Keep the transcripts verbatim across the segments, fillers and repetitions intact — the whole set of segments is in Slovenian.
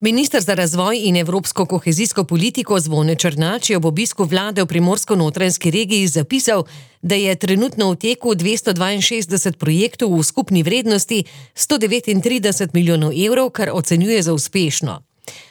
Minister za razvoj in evropsko kohezijsko politiko Zvone Černač je ob obisku vlade v Primorsko-notranjski regiji zapisal, da je trenutno v teku dvesto dvainšestdeset projektov v skupni vrednosti sto devetintrideset milijonov evrov, kar ocenjuje za uspešno.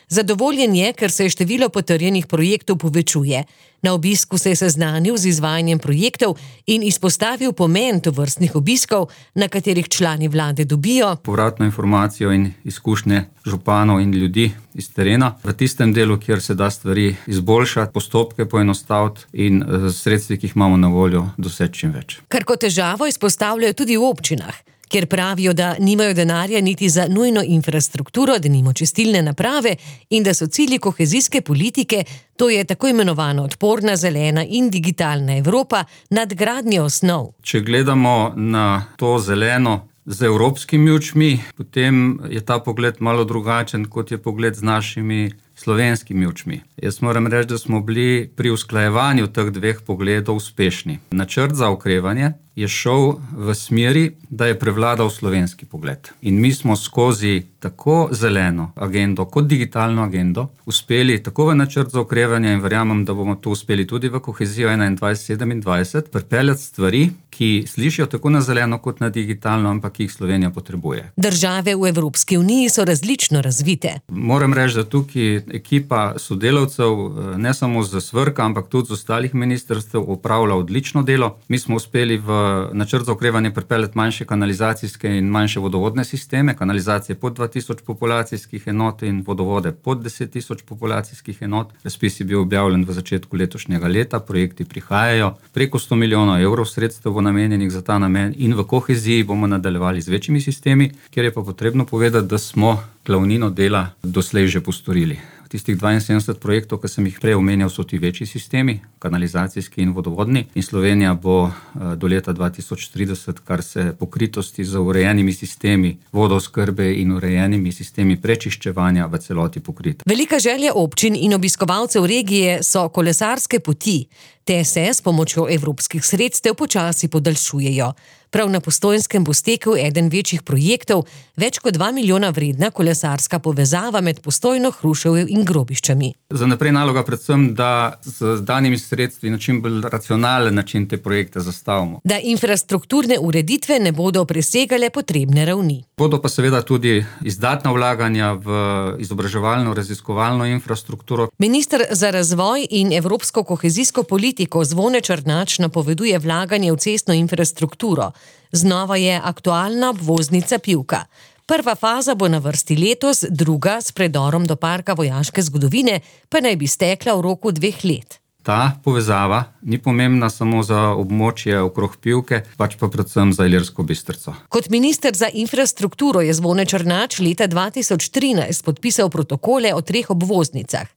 Zadovoljen je, ker se število potrjenih projektov povečuje. Na obisku se je seznanil z izvajanjem projektov in izpostavil pomen tovrstnih obiskov, na katerih člani vlade dobijo povratno informacijo in izkušnje županov in ljudi iz terena. V tistem delu, kjer se da stvari izboljšati, postopke poenostaviti in sredstvi, ki jih imamo na voljo, doseči čim več. Kar kot težavo izpostavljajo tudi v občinah, kjer pravijo, da nimajo denarja niti za nujno infrastrukturo, denimo čistilne naprave, in da so cilji kohezijske politike, to je tako imenovana odporna, zelena in digitalna Evropa, nadgradnja osnov. Če gledamo na to zeleno z evropskimi očmi, potem je ta pogled malo drugačen, kot je pogled z našimi slovenskimi očmi. Jaz moram reči, da smo bili pri usklajevanju teh dveh pogledov uspešni. Načrt za okrevanje je šel v smeri, da je prevladal slovenski pogled. In mi smo skozi tako zeleno agendo kot digitalno agendo uspeli tako v načrt za okrevanje in verjamem, da bomo to uspeli tudi v kohezijo enaindvajset sedemindvajset, pripeljati stvari, ki slišijo tako na zeleno kot na digitalno, ampak ki jih Slovenija potrebuje. Države v Evropski uniji so različno razvite. Moram reči, da tukaj ekipa sodelavcev, ne samo z SVRK, ampak tudi z ostalih ministrstev, opravlja odlično delo. Mi smo uspeli v načrt za okrevanje pripeljati manjše kanalizacijske in manjše vodovodne sisteme, kanalizacije pod dva tisoč populacijskih enot in vodovode pod deset tisoč populacijskih enot. Razpis je bil objavljen v začetku letošnjega leta, projekti prihajajo. Preko sto milijonov evrov sredstev bo namenjenih za ta namen in v koheziji bomo nadaljevali z večjimi sistemi, kjer je pa potrebno povedati, da smo glavnino dela doslej že postorili. Tistih dvainsedemdeset projektov, ki sem jih prej omenjal, so ti večji sistemi, kanalizacijski in vodovodni, in Slovenija bo do leta dva tisoč trideset, kar se pokritosti z urejenimi sistemi vodooskrbe in urejenimi sistemi prečiščevanja v celoti pokrita. Velika želja občin in obiskovalcev regije so kolesarske poti. Te se s pomočjo evropskih sredstev počasi podaljšujejo. Prav na Postojnskem bo stekel eden večjih projektov, več kot dva milijona vredna kolesarska povezava med Postojno, Hruševjo in Grobiščami. Za naprej naloga predvsem, da z danimi sredstvi na čim bolj racionalen način te projekte zastavimo. Da infrastrukturne ureditve ne bodo presegale potrebne ravni. Bodo pa seveda tudi izdatna vlaganja v izobraževalno, raziskovalno infrastrukturo. Minister za razvoj in evropsko kohezijsko politiko Zvone Černač napoveduje vlaganje v cestno infrastrukturo. Znova je aktualna obvoznica Pivka. Prva faza bo na vrsti letos, druga s predorom do parka vojaške zgodovine pa naj bi stekla v roku dveh let. Ta povezava ni pomembna samo za območje okrog Pivke, pač pa predvsem za Ilirsko Bistrico. Kot minister za infrastrukturo je Zvone Černač leta dva tisoč trinajst podpisal protokole o treh obvoznicah.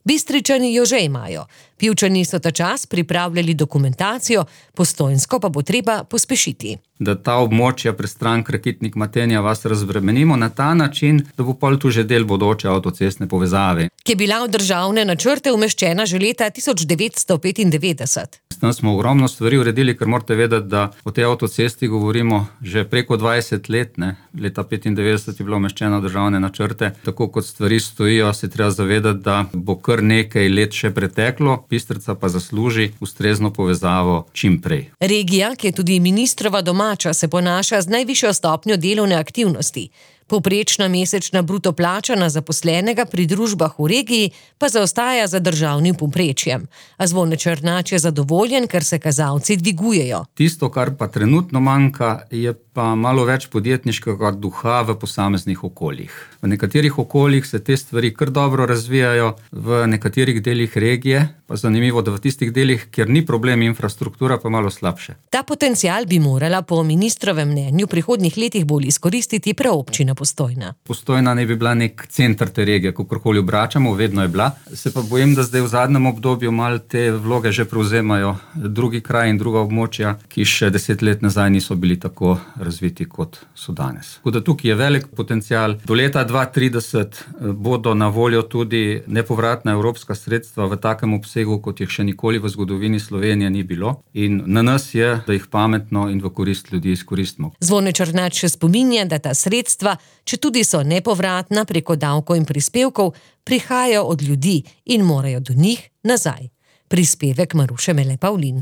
Bistričani jo že imajo. Pivčani so ta čas pripravljali dokumentacijo, Postojnsko pa bo treba pospešiti. Da ta območja prestran Rakitnik, Matenja vas razbremenimo na ta način, da bo pol tu že del bodoče avtocestne povezave. Ki je bila v državne načrte umeščena že leta tisoč devetsto petindevetdeset. S tem smo ogromno stvari uredili, ker morate vedeti, da o tej avtocesti govorimo že preko dvajset let. Ne? Leta petindevetdeset je bilo umeščena v državne načrte. Tako kot stvari stojijo, se treba zavedati, da bo kar nekaj let še preteklo, Bistrica pa zasluži ustrezno povezavo čim prej. Regija, ki je tudi ministrova domača, se ponaša z najvišjo stopnjo delovne aktivnosti. Povprečna mesečna bruto plača na zaposlenega pri družbah v regiji pa zaostaja za državnim povprečjem. A Zvone Černač je zadovoljen, ker se kazalci dvigujejo. Tisto, kar pa trenutno manjka, je pa malo več podjetniškega duha v posameznih okoljih. V nekaterih okoljih se te stvari kar dobro razvijajo, v nekaterih delih regije, pa zanimivo, da v tistih delih, kjer ni problem infrastruktura, pa malo slabše. Ta potencial bi morala po ministrovem mnenju v prihodnjih letih bolj izkoristiti prav občina Postojna. Postojna ne bi bila nek center te regije, kakorkoli obračamo, vedno je bila. Se pa bojim, da zdaj v zadnjem obdobju malo te vloge že prevzemajo drugi kraj in druga območja, ki še deset let nazaj niso bili tako razviti, kot so danes. Tako da tukaj je velik potencial. Do leta dva tisoč trideset bodo na voljo tudi nepovratna evropska sredstva v takem obsegu, kot jih še nikoli v zgodovini Slovenije ni bilo. In na nas je, da jih pametno in v korist ljudi izkoristimo. Zvone Černač še spominja, da ta sredstva, če tudi so nepovratna preko davkov in prispevkov, prihajajo od ljudi in morajo do njih nazaj. Prispevek Maruše Mele Pavlin.